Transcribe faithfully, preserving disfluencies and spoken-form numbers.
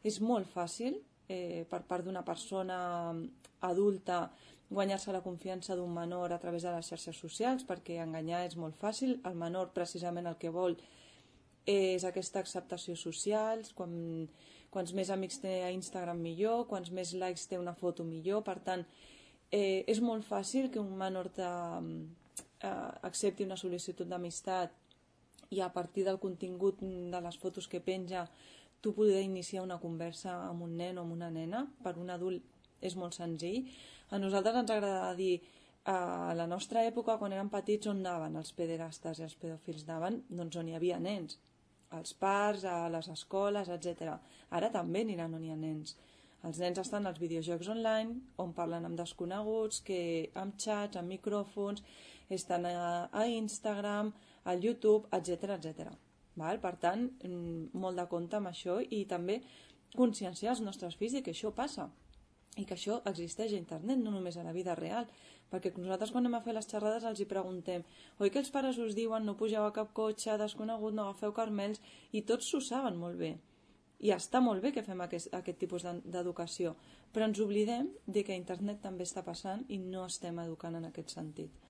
és molt fàcil eh, per part d'una persona adulta guanyar-se la confiança d'un menor a través de les xarxes socials, perquè enganyar és molt fàcil. El menor precisament el que vol és aquesta acceptació social, quan, quants més amics té a Instagram millor, quants més likes té una foto millor, per tant eh, és molt fàcil que un menor te, eh, accepti una sol·licitud d'amistat i a partir del contingut de les fotos que penja tu poder iniciar una conversa amb un nen o amb una nena. Per un adult és molt senzill. A nosaltres ens agrada dir a la nostra època, quan érem petits, on anaven els pederastes i els pedòfils? Anaven doncs, on hi havia nens, als parcs, a les escoles, etcètera. Ara també aniran on hi ha nens. Els nens estan als videojocs online, on parlen amb desconeguts, que amb xats, amb micròfons, estan a, a Instagram, al YouTube, etcètera, etcètera. Val? Per tant, molt de compte amb això i també conscienciar els nostres fills de que això passa i que això existeix a internet, no només a la vida real, perquè nosaltres quan anem a fer les xerrades els hi preguntem: oi que els pares us diuen no pugeu a cap cotxe desconegut, no agafeu carmels, i tots s'ho saben molt bé i està molt bé que fem aquest, aquest tipus d'educació, però ens oblidem de que a internet també està passant i no estem educant en aquest sentit.